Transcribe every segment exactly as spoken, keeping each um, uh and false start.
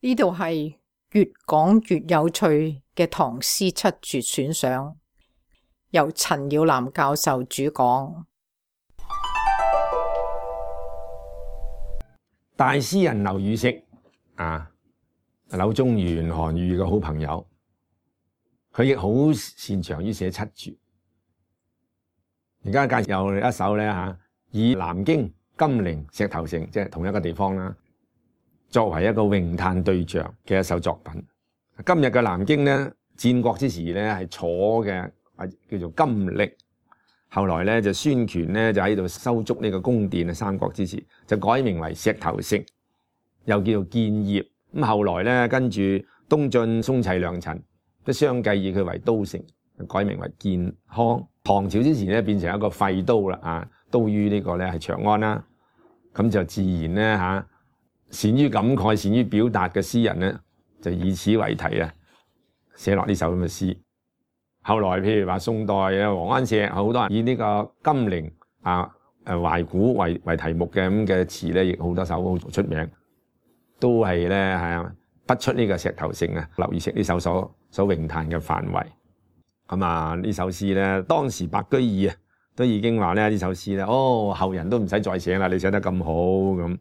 呢度係越講越有趣嘅唐詩七絕選賞，由陳耀南教授主講。大詩人劉禹錫啊，柳宗元、韓愈嘅好朋友，佢亦好擅長於寫七絕。而家介紹一首咧吓，以南京、金陵、石頭城即係同一個地方啦，作為一個詠嘆對象嘅一首作品。今日嘅南京咧，戰國之時咧係楚嘅，叫做金歷。後來咧就孫權咧就喺度修築呢個宮殿啊，三國之時就改名為石頭城，又叫做建業。咁後來咧跟住東晉、宋齊、梁陳都相繼以佢為都城，改名為建康。唐朝之前咧變成一個廢都啦，啊，都於呢個咧係長安啦。咁就自然咧吓，善於感慨、善於表達嘅詩人咧，就以此為題啊，寫落呢首咁嘅詩。後來譬如話宋代啊，王安石好多人以呢個金陵啊、誒懷古為為題目嘅咁嘅詞咧，亦好多首好出名，都係咧係不出呢個石頭城啊。劉禹錫呢首所所詠嘆嘅範圍。咁啊呢首詩咧，當時白居易啊都已經話咧呢首詩咧，哦後人都唔使再寫啦，你寫得咁好咁。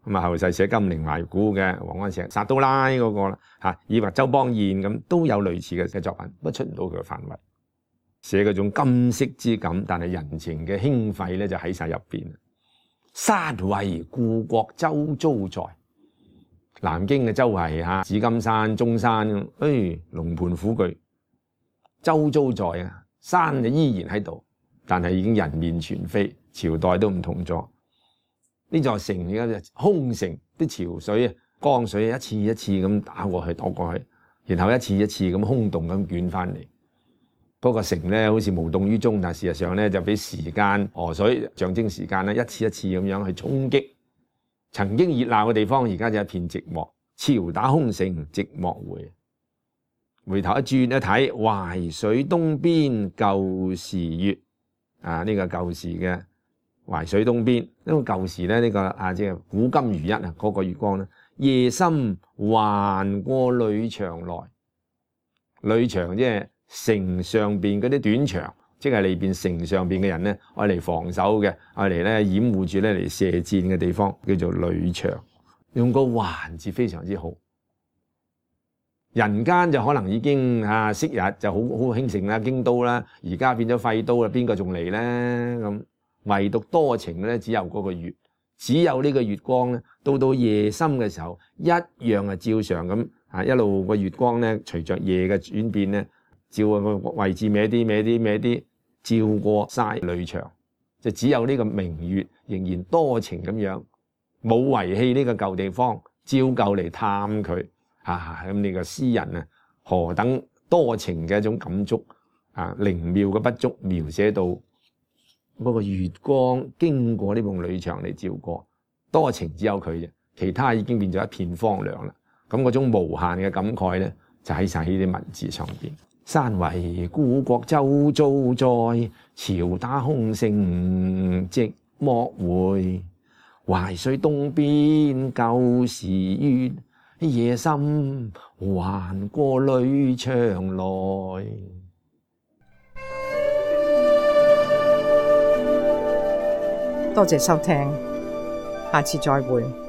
咁啊後世寫金陵懷古嘅王安石、撒都拉嗰個啦嚇，以或周邦彥咁都有類似嘅嘅作品，不出唔到佢嘅範圍。寫嗰種金色之感，但係人情嘅興廢咧就喺晒入邊。山為故國周遭在，南京嘅周圍嚇，紫金山、中山，誒龍盤虎踞，周遭在啊，山就依然喺度，但係已經人面全非，朝代都唔同咗。呢座城而家就空城，啲潮水啊、江水一次一次咁打過去、躲過去，然後一次一次咁空洞咁捲翻嚟。嗰個城咧好似無動於衷，但事實上咧就俾時間河水象徵時間咧，一次一次咁樣去衝擊。曾經熱鬧嘅地方，而家就一片寂寞。潮打空城寂寞回，回頭一轉一睇，淮水東邊舊時月啊！呢、這個舊時嘅淮水東邊，因為舊時咧呢個啊即係古今如一啊，嗰個月光咧，夜深還過閭牆來，閭牆即係城上邊嗰啲短牆，即係裏邊城上邊嘅人咧，愛嚟防守嘅，愛嚟咧掩護住咧嚟射箭嘅地方，叫做閭牆。用個還字非常之好。人間就可能已經啊昔日就好好興盛啦，京都啦，而家變咗廢都啦，邊個仲嚟咧？咁唯獨多情咧，只有嗰個月，只有呢個月光咧，到到夜深嘅時候，一樣係照常咁啊，一路個月光咧，隨着夜嘅轉變咧。照個位置歪啲歪啲歪啲，照過晒閭牆，就只有呢個明月仍然多情咁樣，冇遺棄呢個舊地方，照舊嚟探佢啊！咁呢個詩人啊，何等多情嘅一種感觸啊，靈妙嘅筆觸描寫到嗰個月光經過呢埲閭牆嚟照過，多情只有佢啫，其他已經變咗一片荒涼啦。咁嗰種無限嘅感慨咧，就喺晒呢啲文字上邊。山為故國周遭在，潮打空城寂寞回。淮水東邊舊時月，夜深還過閭牆來。多謝收聽，下次再會。